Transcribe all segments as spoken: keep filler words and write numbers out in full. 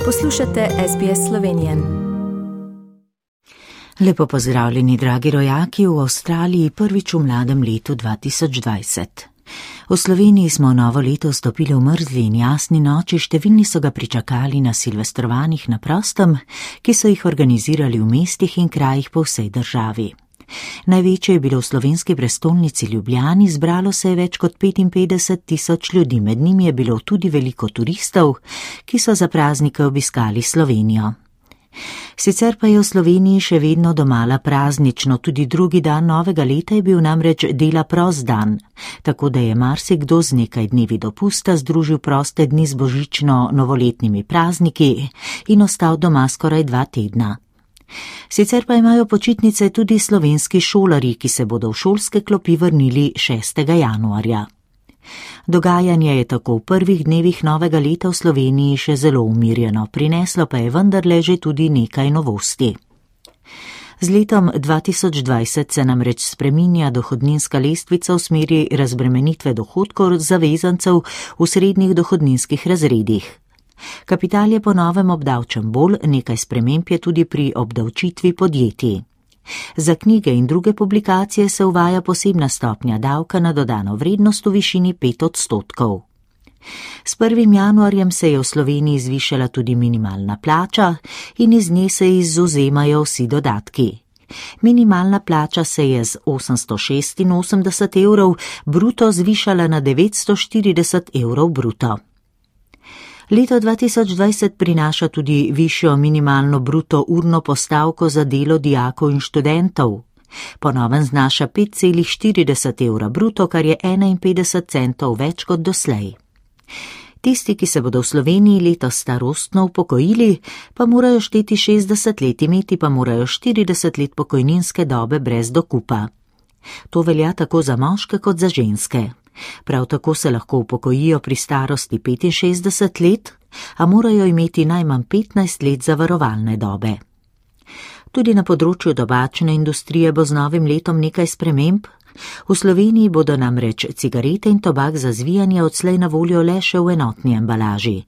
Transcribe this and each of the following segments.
Poslušate S B S Slovenije. Lepo pozdravljeni, dragi rojaki, v Avstraliji prvič v mladem letu dva tisoč dvajset. V Sloveniji smo novo leto vstopili v mrzli in jasni noči, številni so ga pričakali na silvestrovanjih na prostem, ki so jih organizirali v mestih in krajih po vsej državi. Največje je bilo v slovenski prestolnici Ljubljani, zbralo se je več kot petinpetdeset tisoč ljudi, med njimi je bilo tudi veliko turistov, ki so za praznike obiskali Slovenijo. Sicer pa je v Sloveniji še vedno domala praznično, tudi drugi dan novega leta je bil namreč dela prost dan, tako da je marsikdo z nekaj dnevi dopusta združil proste dni z božično-novoletnimi prazniki in ostal doma skoraj dva tedna. Sicer pa imajo počitnice tudi slovenski šolarji, ki se bodo v šolske klopi vrnili šestega januarja. Dogajanje je tako v prvih dnevih novega leta v Sloveniji še zelo umirjeno, prineslo pa je vendarle že tudi nekaj novosti. Z letom dva tisoč dvajset se namreč spreminja dohodninska lestvica v smeri razbremenitve dohodkov zavezancev v srednjih dohodninskih razredih. Kapital je po novem obdavčen bolj, nekaj sprememb je tudi pri obdavčitvi podjetij. Za knjige in druge publikacije se uvaja posebna stopnja davka na dodano vrednost v višini pet odstotkov. S prvim januarjem se je v Sloveniji zvišala tudi minimalna plača in iz nje se izvzemajo vsi dodatki. Minimalna plača se je z osemsto šestinosemdeset evrov bruto zvišala na devetsto štirideset evrov bruto. Leto dva tisoč dvajset prinaša tudi višjo minimalno bruto urno postavko za delo dijakov in študentov. Po novem znaša pet celih štirideset evra bruto, kar je enainpetdeset centov več kot doslej. Tisti, ki se bodo v Sloveniji letos starostno upokojili, pa morajo šteti šestdeset let, imeti pa morajo štirideset let pokojninske dobe brez dokupa. To velja tako za moške kot za ženske. Prav tako se lahko upokojijo pri starosti petinšestdeset let, a morajo imeti najmanj petnajst let zavarovalne dobe. Tudi na področju tobačne industrije bo z novim letom nekaj sprememb. V Sloveniji bodo namreč cigarete in tobak za zvijanje odslej na voljo le še v enotni embalaži.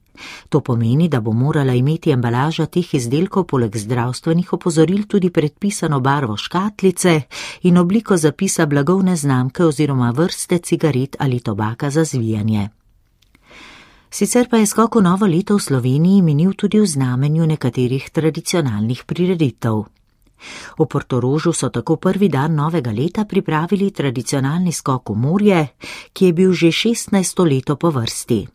To pomeni, da bo morala imeti embalaža teh izdelkov poleg zdravstvenih opozoril tudi predpisano barvo škatlice in obliko zapisa blagovne znamke oziroma vrste cigaret ali tobaka za zvijanje. Sicer pa je skok v novo leto v Sloveniji minil tudi v znamenju nekaterih tradicionalnih prireditev. V Portorožu so tako prvi dan novega leta pripravili tradicionalni skok v morje, ki je bil že šestnajsto leto po vrsti.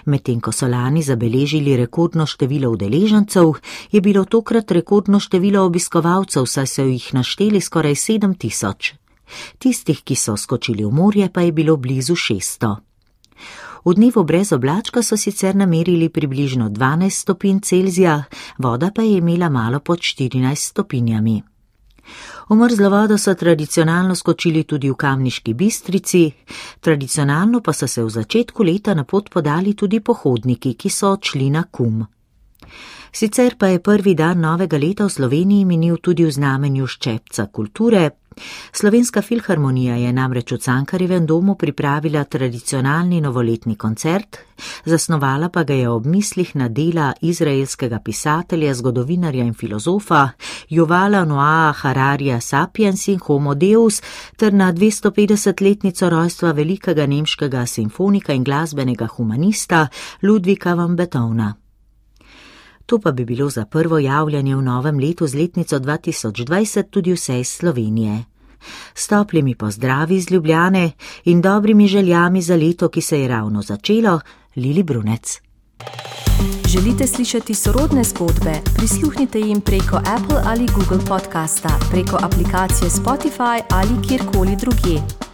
Medtem ko so lani zabeležili rekordno število udeležencev, je bilo tokrat rekordno število obiskovalcev, saj so jih našteli skoraj sedem tisoč. Tistih, ki so skočili v morje, pa je bilo blizu šeststo. V dnevu brez oblačka so sicer namerili približno dvanajst stopinj Celzija, voda pa je imela malo pod štirinajst stopinjami. V mrzlo vodo so tradicionalno skočili tudi v Kamniški Bistrici, tradicionalno pa so se v začetku leta na pot podali tudi pohodniki, ki so odšli na Kum. Sicer pa je prvi dan novega leta v Sloveniji minil tudi v znamenju ščepca kulture. Slovenska filharmonija je namreč v Cankarjevem domu pripravila tradicionalni novoletni koncert, zasnovala pa ga je ob mislih na dela izraelskega pisatelja, zgodovinarja in filozofa Yuvala Noaha Hararija Sapiens in Homo Deus ter na dvestopetdesetletnico rojstva velikega nemškega simfonika in glasbenega humanista Ludwika van Beethovna. To pa bi bilo za prvo javljanje v novem letu z letnico dva tisoč dvajset tudi vse iz Slovenije. S toplimi pozdravi iz Ljubljane in dobrimi željami za leto, ki se je ravno začelo, Lili Brunec. Želite slišati sorodne zgodbe? Prisluhnite jim preko Apple ali Google podcasta, preko aplikacije Spotify ali kjerkoli drugje.